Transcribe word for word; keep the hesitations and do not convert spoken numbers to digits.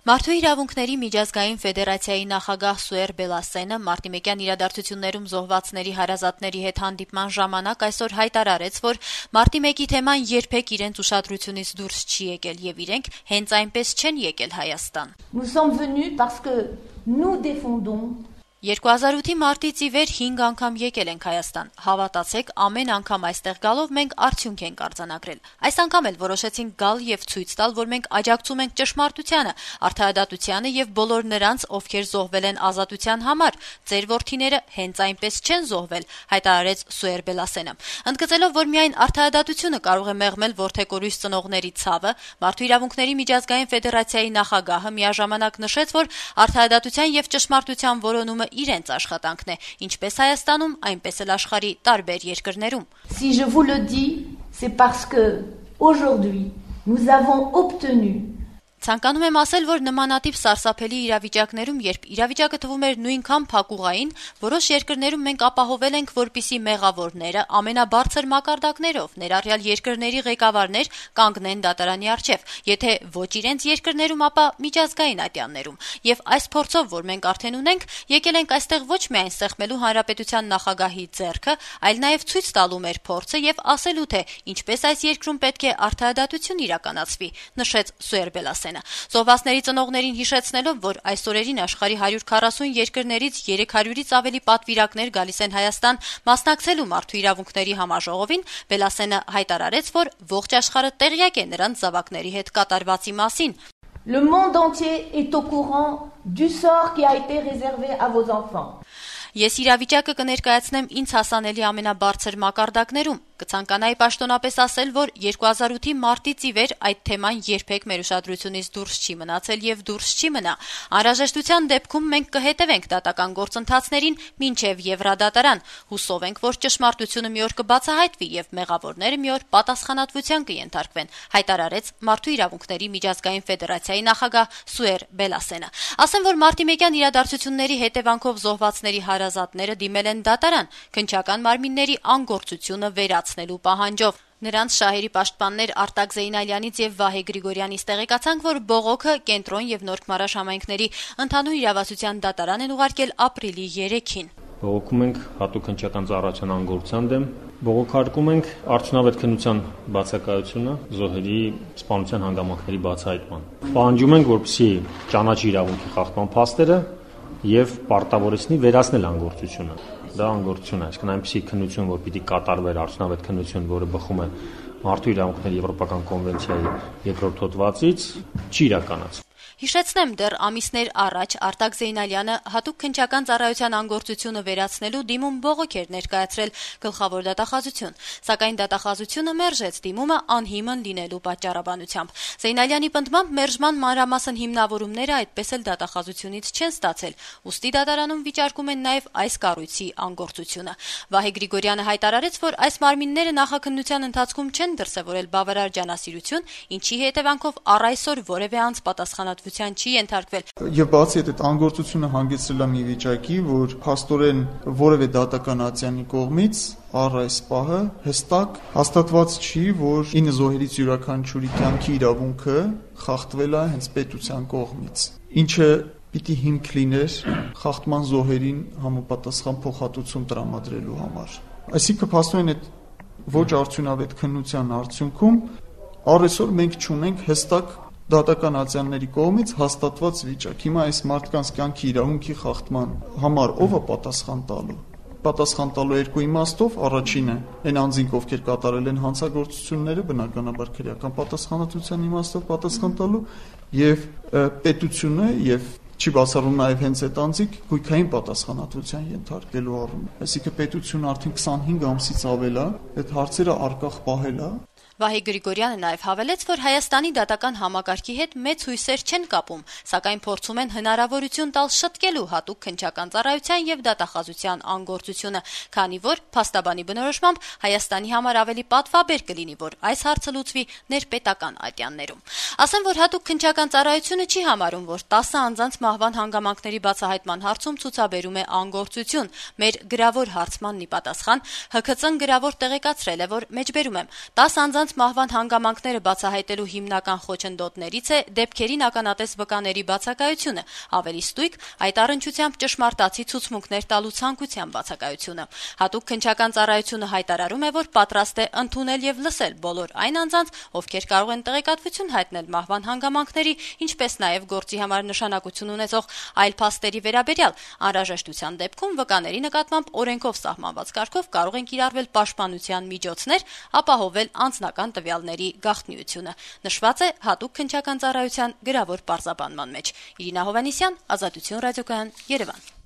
Մարդու իրավունքների միջազգային ֆեդերացիայի նախագահ Սուեր Բելասենը մարտիմեկյան իրադարձություններում զոհվածների հարազատների հետ հանդիպման ժամանակ այսօր հայտարարեց, որ մարտի մեկի թեման երբեք իրենց ուշադրությունից դուրս չի եկել եւ իրենք հենց այնպես չեն եկել Հայաստան. Nous sommes venus parce que nous défendons երկու հազար ութի մարտից ի վեր հինգ անգամ եկել ենք Հայաստան։ Հավատացեք, ամեն անգամ այստեղ գալով մենք արդյունք ենք արձանագրել։ Այս անգամ էլ որոշեցինք գալ եւ ցույց տալ, որ մենք աջակցում ենք ճշմարտությանը, արդարադատությանը եւ բոլոր նրանց, ովքեր զոհվել են ազատության համար։ Ձեր որդիները հենց այնպես չեն զոհվել, հայտարարեց Սուեր Բելասենը։ Ընդգծելով, որ միայն արդարադատությունը կարող է մեղմել որդեկորույս ծնողների ցավը, Մարդու իրավունքների միջազգային ֆեդերացիայի նախագահը միաժամանակ նշեց, որ արդարադատության եւ ճշմարտության որոնումը իրենց աշխատանքն է, ինչպես Հայաստանում, այնպես էլ աշխարհի տարբեր երկրներում. Si je vous le dis, c'est parce que aujourd'hui nous avons obtenu Ցանկանում եմ ասել, որ նմանատիպ սարսափելի իրավիճակներում, երբ իրավիճակը թվում էր նույնքան փակուղային, որոշ երկրներում մենք ապահովել ենք, որպիսի մեղավորները ամենաբարձր մակարդակներով, ներառյալ երկրների ղեկավարներ, կանգնեն դատարանի առջև, եթե ոչ իրենց երկրներում, ապա միջազգային ատյաններում։ Եվ այս փորձով, որ մենք արդեն ունենք, եկել ենք այստեղ ոչ միայն սեղմելու հանրապետության նախագահի ձեռքը, այլ նաև ցույց տալու մեր փորձը եւ ասելու, թե ինչպես այս երկրում պետք է արդարադատություն իրականացվի, նշեց Սուեր Բելասենը։ Զոհվածների ծնողներին հիշեցնելով, որ այս օրերին աշխարհի հարյուր քառասուն երկրներից երեք հարյուրից ավելի պատվիրակներ գալիս են Հայաստան մասնակցելու մարդու իրավունքների համաժողովին, Բելասենը հայտարարեց, որ ողջ աշխարհը տեղյակ է նրանց զավակների հետ կատարվածի մասին. Le monde entier est au courant du sort qui a été réservé à vos enfants. Ես իրավիճակը կներկայացնեմ ինձ հասանելի ամենաբարձր մակարդակներում։ Կցանկանայի պաշտոնապես ասել, որ երկու հազար ութի մարտից ի վեր այդ թեման երբեք մեր ուշադրությունից դուրս չի մնացել եւ դուրս չի մնա։ Անհրաժեշտության դեպքում մենք կհետևենք դատական գործընթացներին մինչեւ Եվրադատարան։ Հուսով ենք, որ ճշմարտությունը մի օր կբացահայտվի եւ մեղավորները մի օր պատասխանատվության կենթարկվեն, հայտարարեց Մարդու իրավունքների միջազգային ֆեդերացիայի նախագահ Սուեր Բելասենը։ Ասեմ, որ մարտիմեկյան իրադարձությունների հետևանքով զոհվածների հարազատները դիմել են դատարան, քննչական մարմինների անգործությունը վերացնելու պահանջով։ Նրանց շահերի պաշտպաններ Արտակ Զեյնալյանից եւ Վահե Գրիգորյանից տեղեկացանք, որ բողոքը Կենտրոն եւ Նորք Մարաշ համայնքների ընդհանուր իրավասության դատարան են ուղարկել ապրիլի երեքին։ Բողոքում ենք հատուկ քննչական ծառայության անգործության դեմ, բողոքարկում ենք արդյունավետ քննության բացակայությունը, զոհերի սպանության հանգամանքների բացահայտման։ Պահանջում ենք, որպեսզի ճանաչի իրավունքի խախտման փաստերը եւ պարտավորեցնի վերացնել անգործությունը։ Դա անգործություն է, այսինքն այնպիսի քննություն, որ պիտի կատարվեր արդյունավետ քննություն, որը բխում է Մարդու իրավունքների եվրոպական կոնվենցիայի երկրորդ հոդվածից, չի իրականացվում։ Հիշեցնեմ, դեռ ամիսներ առաջ Արտակ Զեյնալյանը հատուկ քննչական ծառայության անգործությունը վերացնելու դիմում բողոք էր ներկայացրել գլխավոր դատախազություն, սակայն դատախազությունը մերժեց դիմումը անհիմն լինելու պատճառաբանությամբ։ Զեյնալյանի պնդմամբ մերժման մանրամասն հիմնավորումները այդպես էլ դատախազությունից չեն ստացել, ուստի դատարանում վիճարկում են նաև այս կառույցի անգործությունը։ Վահե Գրիգորյանը հայտարարեց, որ այս մարմինները նախաքննության ընթացքում չեն դրսևորել բավարար ջանասիրություն, ինչի հետևանքով առ այսօր որևէ անձ պատասխանատվություն չի ենթարկվել։ Եվ բացի այդ անգործությունը հանգեցրել է մի վիճակի, որ փաստորեն որևէ դատական ատյանի կողմից առ այս պահը հստակ հաստատված չի, որ ինը զոհերից յուրաքանչյուրի կյանքի իրավունքը խախտվել է հենց պետության կողմից, ինչը պիտի հիմք լիներ խախտման զոհերին համապատասխան փոխհատուցում տրամադրելու համար։ Այսինքն փաստորեն այդ ոչ արդյունավետ քննության արդյունքում առ այսօր մենք չունենք հստակ դատական ատյանների կողմից հաստատված վիճակ։ Հիմա այս մարդկանց կյանքի իրավունքի խախտման համար ով է պատասխան տալու։ Պատասխան տալու երկու իմաստով, առաջինը այն անձինք, ովքեր կատարել են հանցագործությունները, բնականաբար քրեական պատասխանատվության իմաստով պատասխան տալու, եւ պետությունը եւ չի բացառում նաև հենց այդ անձիկ գույքային պատասխանատվության ենթարկելու առումով։ Այսինքն պետությունը արդեն քսանհինգ ամսից ավել է այդ հարցերը առկախ պահել է։ Վահե Գրիգորյանը նաև հավելեց, որ Հայաստանի դատական համակարգի հետ մեծ հույսեր չեն կապում, սակայն փորձում են հնարավորություն տալ շտկելու հատուկ քննչական ծառայության եւ դատախազության անգործությունը, քանի որ փաստաբանի բնորոշմամբ Հայաստանի համար ավելի պատվաբեր կլինի, որ այս հարցը լուծվի ներպետական ատյաններում։ Ասեմ, որ հատուկ քննչական ծառայությունը չի համարում, որ տասը անձանց մահվան հանգամանքների բացահայտման հարցում ցուցաբերում է անգործություն։ Մեր գրավոր հարցմանն ի պատասխան ՀՔԾ-ն գրավոր տեղեկացրել է, որ մեջբերում եմ տասը անձանց կանանց մահվան հանգամանքները բացահայտելու հիմնական խոչընդոտներից է դեպքերին ականատես վկաների բացակայությունը, ավելի ստույգ այդ առնչությամբ ճշմարտացի ցուցմունքներ տալու ցանկության բացակայությունը։ Հատուկ քննչական ծառայությունը հայտարարում է, որ պատրաստ է ընդունել եւ լսել բոլոր այն անձանց, ովքեր կարող են տեղեկատվություն հայտնել մահվան հանգամանքների, ինչպես նաեւ գործի համար նշանակություն ունեցող այլ փաստերի վերաբերյալ, անհրաժեշտության դեպքում վկաների նկատմամբ օրենքով սահմանված կարգով կարող են կիրառվել պաշտպանության միջոցներ, ապահովել անձնական տվյալների գաղտնիությունը։ Նշված է հատուկ քննչական ծառայության գրավոր պարզաբանման մեջ։ Իրինա Հովհաննիսյան, Ազատություն ռադիոկայան, Երևան։